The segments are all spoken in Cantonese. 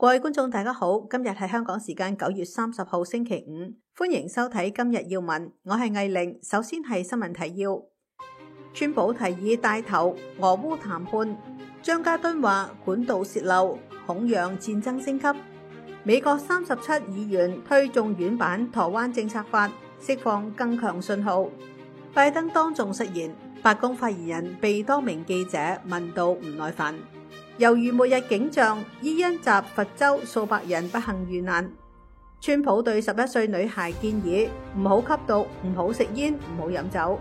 各位觀眾大家好，今日係香港時間9月30號星期五，歡迎收睇今日要聞，我係艾玲。首先係新聞提要：川普提議帶頭俄烏談判，張家敦話管道洩漏恐讓戰爭升級。美國37議員推眾院版台灣政策法，釋放更強信號。拜登當眾失言，白宮發言人被多名記者問到唔耐煩。猶如末日景象，伊恩集佛州數百人不幸遇難。川普對11歲女孩建議唔好吸毒，唔好食煙，唔好飲酒。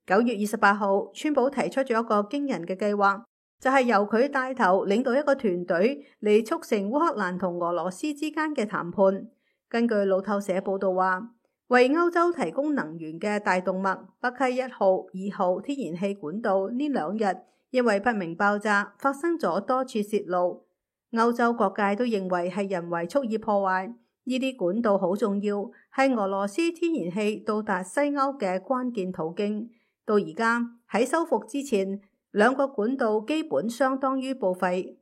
9月28號，川普提出咗一個驚人嘅計劃，就係由佢帶頭領導一個團隊嚟促成烏克蘭同俄羅斯之間嘅談判。根據路透社報道話，為歐洲提供能源嘅大動脈北溪1號、2號天然氣管道呢2日因為不明爆炸發生咗多處洩漏，歐洲各界都認為係人為蓄意破壞。呢啲管道好重要，係俄羅斯天然氣到達西歐嘅關鍵途徑。到而家喺修復之前，2個管道基本相當於報廢。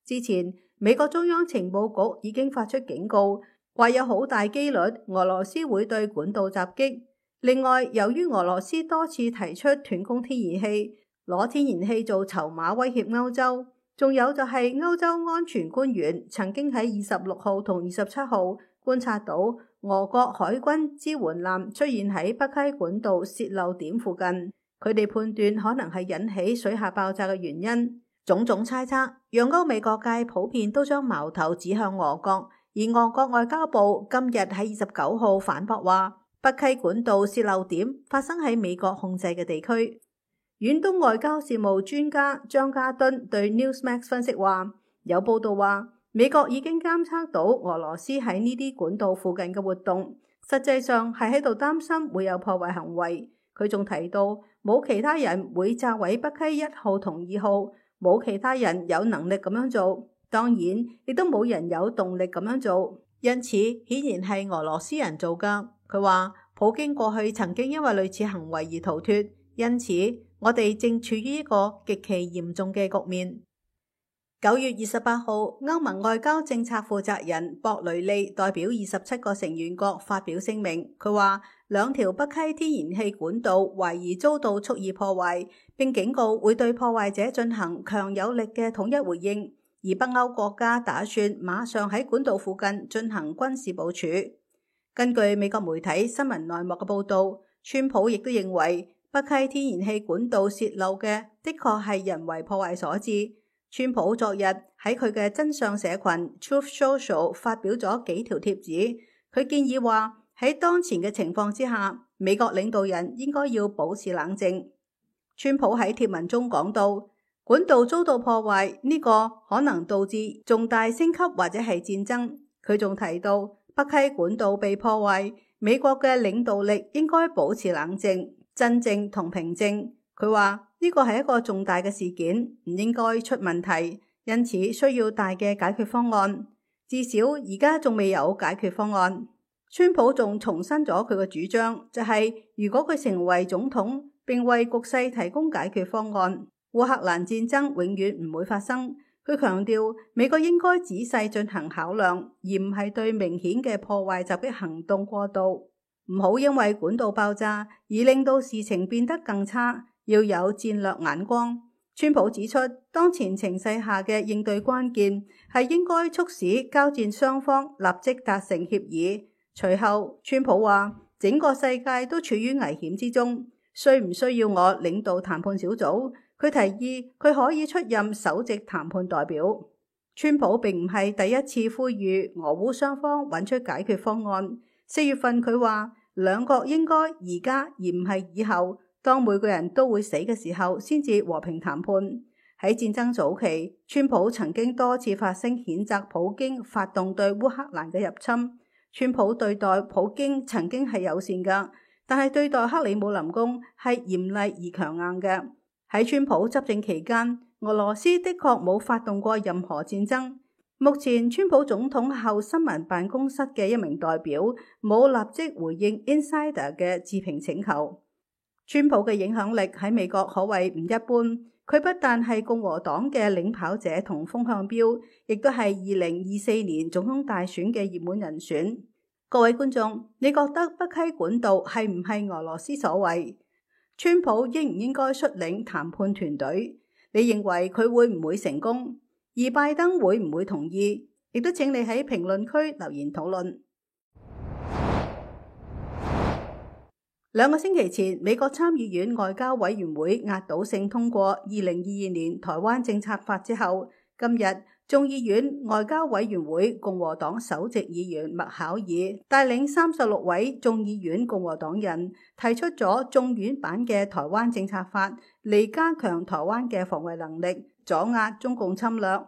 之前美國中央情報局已經發出警告，話有好大機率俄羅斯會對管道襲擊。另外，由於俄羅斯多次提出斷供天然氣，攞天然氣做籌碼威脅歐洲，仲有就係歐洲安全官員曾經喺26號同27號觀察到俄國海軍支援艦出現喺北溪管道洩漏點附近，佢哋判斷可能係引起水下爆炸嘅原因。種種猜測讓歐美各界普遍都將矛頭指向俄國。而俄國外交部今日喺29號反駁話，北溪管道洩漏點發生喺美國控制嘅地區。遠東外交事務專家張家敦對 Newsmax 分析話，有報道話美國已經監測到俄羅斯喺呢啲管道附近嘅活動，實際上係喺度擔心會有破壞行為。佢仲提到冇其他人會炸毀北溪1號同2號，冇其他人有能力咁樣做。當然，亦都冇人有動力咁樣做，因此顯然係俄羅斯人做㗎。佢話普京過去曾經因為類似行為而逃脫，因此我哋正處於一個極其嚴重嘅局面。9月28號，歐盟外交政策負責人博雷利代表27個成員國發表聲明，佢話2條北溪天然氣管道懷疑遭到蓄意破壞，並警告會對破壞者進行強有力嘅統一回應。而北歐國家打算馬上喺管道附近進行軍事部署。根據美國媒體新聞內幕嘅報道，川普亦都認為北溪天然氣管道洩漏嘅的確係人為破壞所致。川普昨日喺佢嘅真相社群 Truth Social 發表咗幾條貼紙，佢建議話喺當前嘅情況之下，美國領導人應該要保持冷靜。川普喺貼文中講到，管道遭到破壞，呢個可能導致重大升級或者係戰爭。佢仲提到北溪管道被破壞，美國嘅領導力應該保持冷靜、鎮靜同平靜。佢話呢個係一個重大嘅事件，唔應該出問題，因此需要大嘅解決方案。至少而家仲未有解決方案。川普仲重申咗佢嘅主張，就係如果佢成為總統並為局勢提供解決方案，烏克蘭戰爭永遠唔會發生。佢強調美國應該仔細進行考量，而唔係對明顯嘅破壞襲擊行動過度。唔好因為管道爆炸而令到事情變得更差，要有戰略眼光。川普指出，當前情勢下嘅應對關鍵係應該促使交戰雙方立即達成協議。隨後，川普話整個世界都處於危險之中，需唔需要我領導談判小組？佢提議佢可以出任首席談判代表。川普並唔係第一次呼籲俄烏雙方揾出解決方案。4月份佢話兩國應該而家而唔係以後，當每個人都會死嘅時候先至和平談判。喺戰爭早期，川普曾經多次發聲譴責普京發動對烏克蘭嘅入侵。川普對待普京曾經係友善㗎，但係對待克里姆林宮係嚴厲而強硬嘅。喺川普執政期間，俄羅斯的確冇發動過任何戰爭。目前川普總統後新聞辦公室嘅一名代表冇立即回應 Insider 嘅置評請求。川普嘅影響力喺美國可謂唔一般，佢不但係共和黨嘅領跑者同風向標，亦都係2024年總統大選嘅熱門人選。各位觀眾，你覺得北溪管道係唔係俄羅斯所為？川普應唔應該率領談判團隊？你認為佢會唔會成功？而拜登會唔會同意？亦都請你喺評論區留言討論。2個星期前，美國參議院外交委員會壓倒性通過2022年台灣政策法之後，今日眾議院外交委員會共和黨首席議員麥考爾帶領36位眾議院共和黨人提出咗眾院版嘅台灣政策法，嚟加強台灣嘅防衛能力，阻壓中共侵略。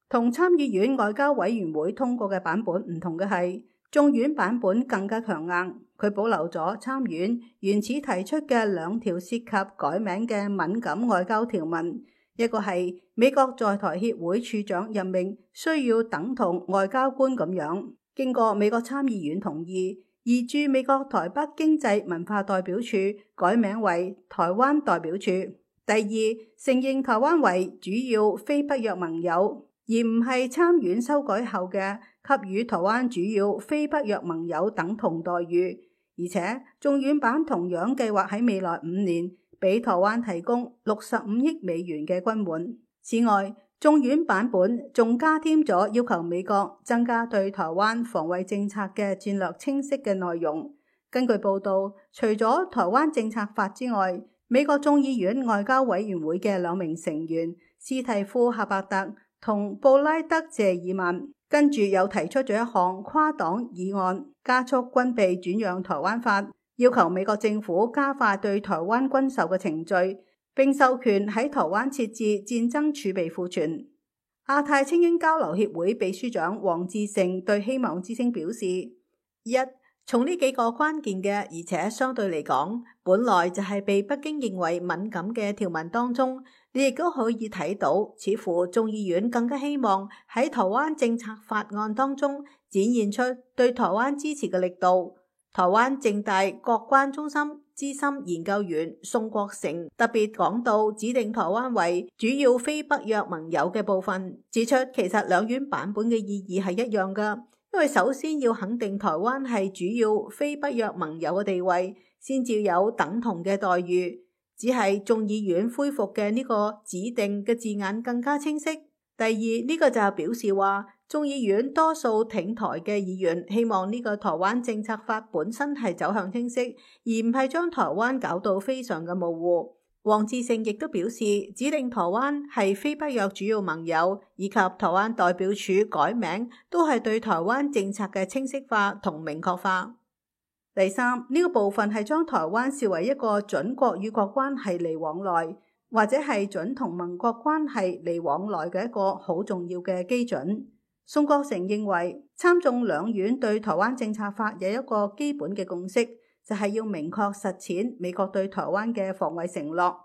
同參議院外交委員會通過嘅版本唔同嘅係，眾院版本更加強硬，佢保留咗參院原始提出嘅2條涉及改名嘅敏感外交條文，一個係美國在台協會處長任命需要等同外交官咁樣，經過美國參議院同意，而駐美國台北經濟文化代表處改名為台灣代表處。第二，承認台灣為主要非北約盟友，而唔係參院修改後嘅給予台灣主要非北約盟友等同待遇，而且眾院版同樣計劃喺未來5年俾台灣提供65億美元嘅軍援。此外，眾院版本仲加添咗要求美國增加對台灣防衛政策嘅戰略清晰嘅內容。根據報道，除咗台灣政策法之外，美國眾議院外交委員會嘅2名成員斯蒂夫·夏伯特同布拉德·謝爾曼，跟住又提出咗一項跨黨議案，加速軍備轉讓台灣法，要求美國政府加快對台灣軍售嘅程序，並授權喺台灣設置戰爭儲備庫存。亞太青英交流協會秘書長黃志成對希望之聲表示：一，從呢幾個關鍵嘅，而且相對嚟講，本來就係被北京認為敏感嘅條文當中，你亦都可以睇到，似乎眾議院更加希望喺台灣政策法案當中展現出對台灣支持嘅力度。台灣政大國關中心資深研究員宋國成特別講到指定台灣為主要非北約盟友嘅部分，指出其實2院版本嘅意義係一樣㗎。因為首先要肯定台灣係主要非北約盟友嘅地位，先至有等同嘅待遇。只係眾議院恢復嘅呢個指定嘅字眼更加清晰。第二，呢個就表示話，眾議院多數挺台嘅議員希望呢個台灣政策法本身係走向清晰，而唔係將台灣搞到非常嘅模糊。黃志勝亦都表示，指定台灣係非北約主要盟友，以及台灣代表處改名，都係對台灣政策嘅清晰化同明確化。第三，呢個部分係將台灣視為一個準國與國關係嚟往來，或者係準同盟國關係嚟往來嘅一個好重要嘅基準。宋國成認為，參眾兩院對台灣政策法有一個基本嘅共識，就係要明確實踐美國對台灣嘅防衛承諾。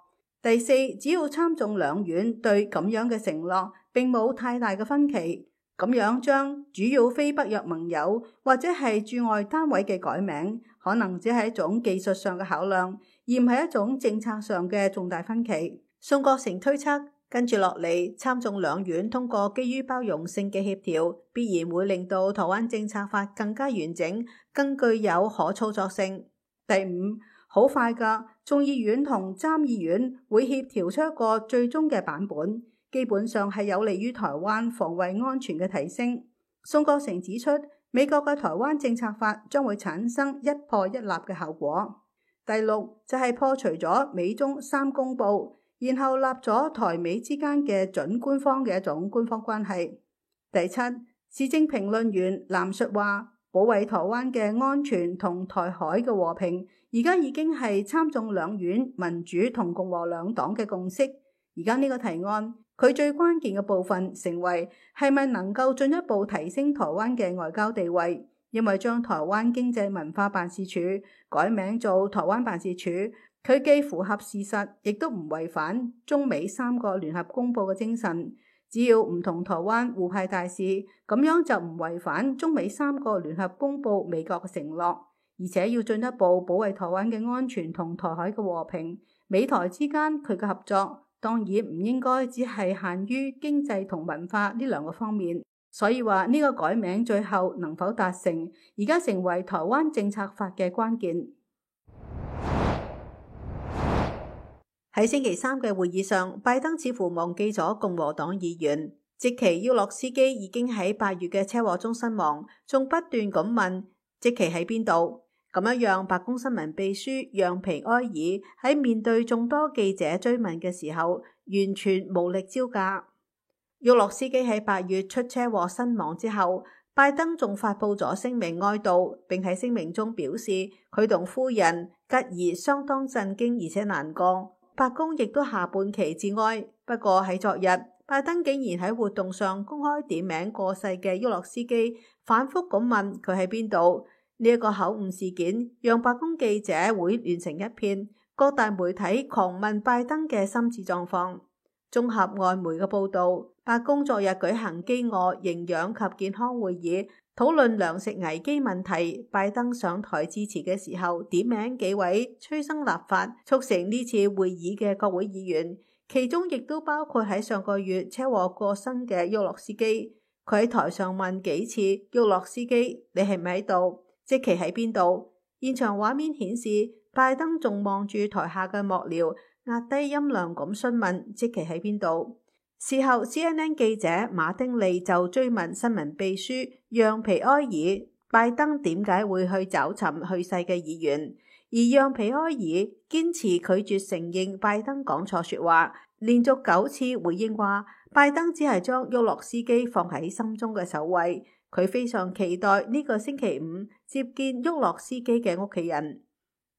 第四，只要參眾兩院對咁樣嘅承諾並冇太大嘅分歧，咁樣將主要非北約盟友或者係駐外單位嘅改名，可能只係一種技術上嘅考量，而唔係一種政策上嘅重大分歧。宋國成推測，跟住落嚟，參眾兩院通過基於包容性嘅協調，必然會令到台灣政策法更加完整，更具有可操作性。第五，好快㗎，眾議院同參議院會協調出一個最終嘅版本，基本上係有利於台灣防衛安全嘅提升。宋國成指出，美國嘅台灣政策法將會產生一破一立嘅效果。第六，就係破除咗美中3公報，然後立咗台美之間嘅準官方嘅一種官方關係。第七，時政評論員藍述話，保衛台灣嘅安全同台海嘅和平，而家已經係參眾兩院民主同共和兩黨嘅共識。而家呢個提案，佢最關鍵嘅部分成為係咪能夠進一步提升台灣嘅外交地位，因為將台灣經濟文化辦事處改名做台灣辦事處，佢既符合事實，亦都唔違反中美3個聯合公報嘅精神。只要唔同台灣互派大使，咁樣就唔違反中美3個聯合公報美國嘅承諾，而且要進一步保衛台灣嘅安全同台海嘅和平。美台之間佢嘅合作當然唔應該只係限於經濟同文化呢兩個方面。所以話呢個改名最後能否達成，而家成為台灣政策法嘅關鍵。喺星期三嘅會議上，拜登似乎忘記咗共和黨議員。席奇·沃洛斯基已經喺8月嘅車禍中身亡，仲不斷咁問席奇喺邊度。咁樣讓白宮新聞秘書讓皮埃爾喺面對眾多記者追問嘅時候，完全無力招架。沃洛斯基喺8月出車禍身亡之後，拜登仲發佈咗聲明哀悼，並喺聲明中表示佢同夫人吉爾相當震驚而且難過。白宮亦都下半旗致哀。不過喺昨日，拜登竟然喺活動上公開點名過世嘅沃洛斯基，反覆咁問佢喺邊度。呢一個口誤事件讓白宮記者會亂成一片，各大媒體狂問拜登嘅心智狀況。綜合外媒嘅報道，白宮昨日舉行飢餓、營養及健康會議，討論糧食危機問題。拜登上台致辭嘅時候，點名幾位催生立法促成呢次會議嘅國會議員，其中亦都包括喺上個月車禍過身嘅沃洛斯基。佢喺台上問幾次沃洛斯基：你係咪喺度？席奇喺邊度？現場畫面顯示，拜登仲望住台下嘅幕僚，壓低音量咁詢問席奇喺邊度。事後 CNN 記者馬丁利就追問新聞秘書讓皮埃爾，拜登點解會去找尋去世嘅議員，而讓皮埃爾堅持拒絕承認拜登講錯說話，連續9次回應話拜登只係將沃洛斯基放喺心中嘅首位。佢非常期待呢個星期五接見沃洛斯基嘅屋企人。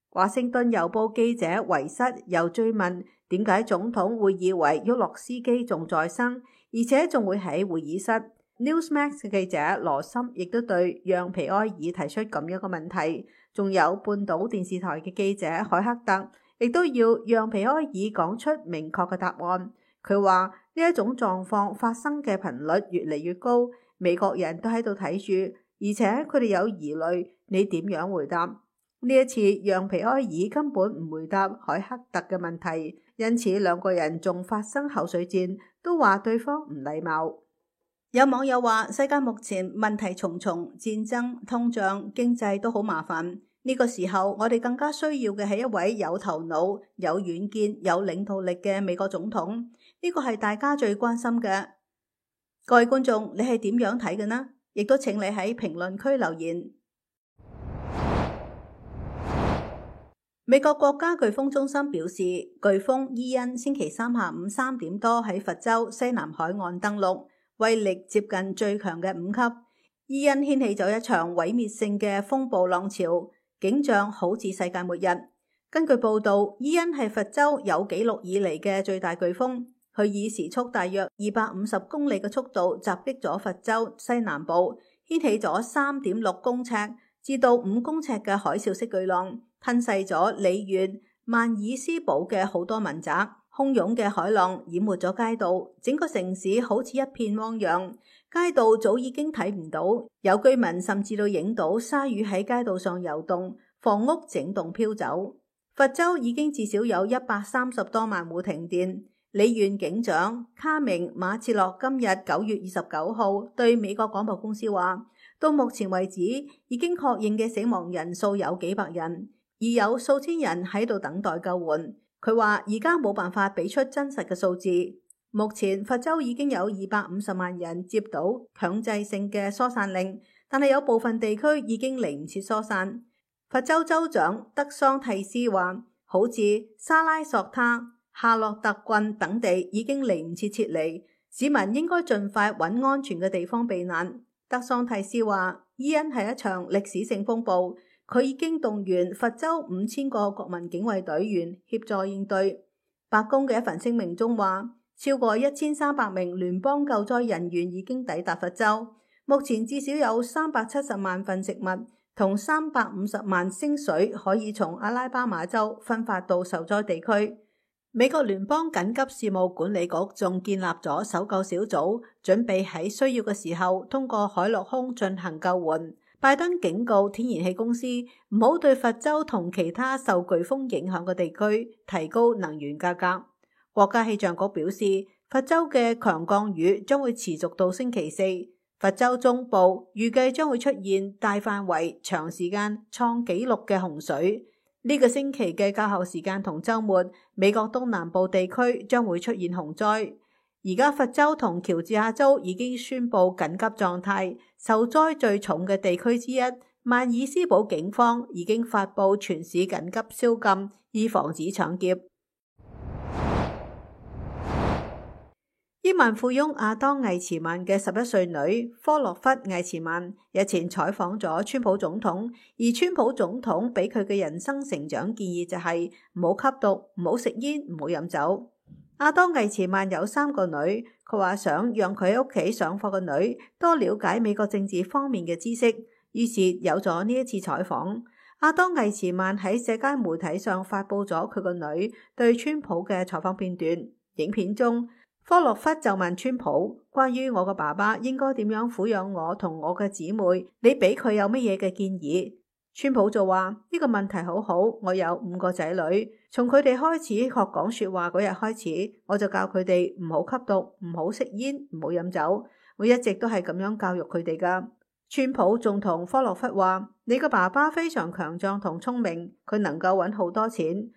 華盛頓郵報記者維瑟又追問點解總統會以為沃洛斯基仲在生，而且仲會喺會議室。Newsmax 嘅記者羅森亦都對讓皮埃爾提出咁樣嘅問題。仲有半島電視台嘅記者海克特亦都要讓皮埃爾講出明確嘅答案。佢話呢一種狀況發生嘅頻率越嚟越高，美國人都喺度睇住，而且佢哋有疑慮，你點樣回答？呢一次讓皮埃爾根本唔回答海克特嘅問題，因此兩個人仲發生口水戰，都話對方唔禮貌。有網友話世界目前問題重重，戰爭、通脹、經濟都好麻煩。呢個時候我哋更加需要嘅係一位有頭腦、有遠見、有領導力嘅美國總統。呢個係大家最關心嘅。各位觀眾，你係點樣睇嘅呢？亦都請你喺評論區留言。美國國家颶風中心表示，颶風伊恩星期三下午3點多喺佛州西南海岸登陸，威力接近最強嘅5級。伊恩掀起咗一場毀滅性嘅風暴浪潮，景象好似世界末日。根據報道，伊恩係佛州有紀錄以嚟嘅最大颶風。佢以時速大約250公里嘅速度襲擊咗佛州西南部，掀起咗3.6公尺至到5公尺嘅海嘯式巨浪，吞噬咗里縣曼爾斯堡嘅好多民宅。洶湧嘅海浪淹沒咗街道，整個城市好似一片汪洋，街道早已經睇唔到，有居民甚至都影到鯊魚喺街道上游動，房屋整棟飄走。佛州已經至少有130多萬戶停電。里縣警長卡明馬切洛今日9月29號對美國廣播公司話，到目前為止已經確認嘅死亡人數有幾百人，而有數千人喺度等待救援。佢話而家冇辦法俾出真實嘅數字。目前佛州已經有250萬人接到強制性嘅疏散令，但係有部分地區已經嚟唔切疏散。佛州州長德桑蒂斯話，好似沙拉索他、夏洛特郡等地已經嚟唔切撤離，市民應該盡快揾安全嘅地方避難。德桑蒂斯話，伊恩係一場歷史性風暴，佢已經動員佛州5000個國民警衛隊員協助應對。白宮嘅一份聲明中話，超過1300名聯邦救災人員已經抵達佛州，目前至少有370萬份食物同350萬升水可以從阿拉巴馬州分發到受災地區。美國聯邦緊急事務管理局仲建立咗搜救小組，準備喺需要嘅時候通過海陸空進行救援。拜登警告天然氣公司唔好對佛州同其他受颶風影響嘅地區提高能源價格。國家氣象局表示，佛州嘅強降雨將會持續到星期四。佛州中部預計將會出現大範圍、長時間創紀錄嘅洪水。呢個星期嘅較後時間同週末，美國東南部地區將會出現洪災。而家佛州同喬治亞州已經宣布緊急狀態，受災最重嘅地區之一，曼爾斯堡警方已經發布全市緊急宵禁，以防止搶劫。億萬富翁亞當·魏茨曼嘅11歲女科洛弗·魏茨曼日前採訪咗川普總統，而川普總統俾佢嘅人生成長建議就係唔好吸毒、唔好食煙、唔好飲酒。亞當·魏茨曼有3個女，佢話想讓佢喺屋企上課嘅女多了解美國政治方面嘅知識，於是有咗呢一次採訪。亞當·魏茨曼喺社交媒體上發布咗佢個女對川普嘅採訪片段，影片中，科洛弗就問川普關於我個爸爸應該點樣撫養我同我嘅姊妹，你俾佢有乜嘢嘅建議？川普就話呢個問題好好，我有5個仔女，從佢哋開始學講說話嗰日開始，我就教佢哋唔好吸毒、唔好食煙、唔好飲酒，我一直都係咁樣教育佢哋噶。川普仲同科洛弗話，你個爸爸非常強壯同聰明，佢能夠搵好多錢。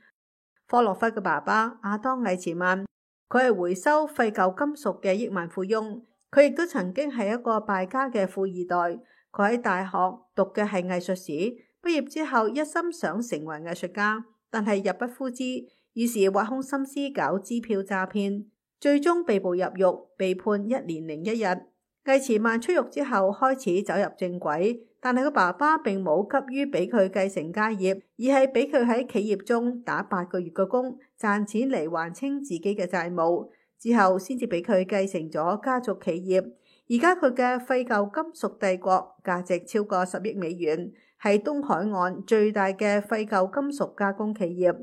科洛弗嘅爸爸亞當·魏茨曼，佢係回收廢舊金屬嘅億萬富翁，佢亦都曾經係一個敗家嘅富二代。佢喺大學讀嘅係藝術史，畢業之後一心想成為藝術家，但係入不敷支，於是挖空心思搞支票詐騙，最終被捕入獄，被判1年01日。魏茨曼出獄之後開始走入正軌，但係佢爸爸並冇急於俾佢繼承家業，而係俾佢喺企業中打8個月嘅工，賺錢嚟還清自己嘅債務，之後先至俾佢繼承咗家族企業。而家佢嘅廢舊金屬帝國價值超過10億美元，係東海岸最大嘅廢舊金屬加工企業。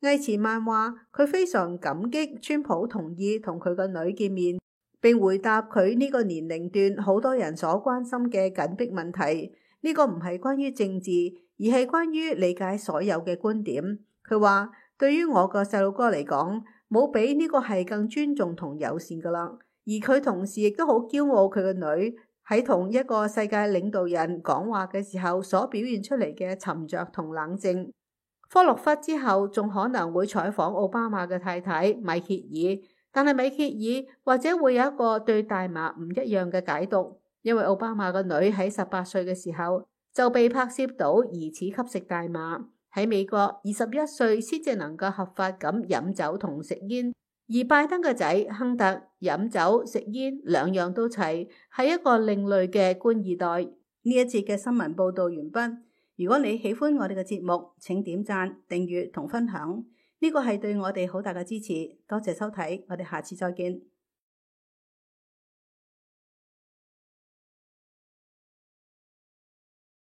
魏茨曼話佢非常感激川普同意同佢個女見面，並回答佢呢個年齡段好多人所關心嘅緊迫問題。呢個唔係關於政治，而係關於理解所有嘅觀點。佢話對於我個細路哥嚟講，冇比呢個係更尊重同友善噶啦。而佢同時亦都好驕傲佢個女喺同一個世界領導人講話嘅時候所表現出嚟嘅沉着同冷靜。科洛弗之後仲可能會採訪奧巴馬嘅太太米歇爾，但係米歇爾或者會有一個對大麻唔一樣嘅解讀，因為奧巴馬個女喺18歲嘅時候就被拍攝到疑似吸食大麻。喺美國21歲先至能夠合法咁飲酒同食煙。而拜登嘅仔亨特飲酒食煙兩樣都齊，係一個另類嘅官二代。呢一節嘅新聞報道完畢。如果你喜歡我哋嘅節目，請點讚、訂閱同分享，呢個係對我哋好大嘅支持。多謝收睇，我哋下次再見。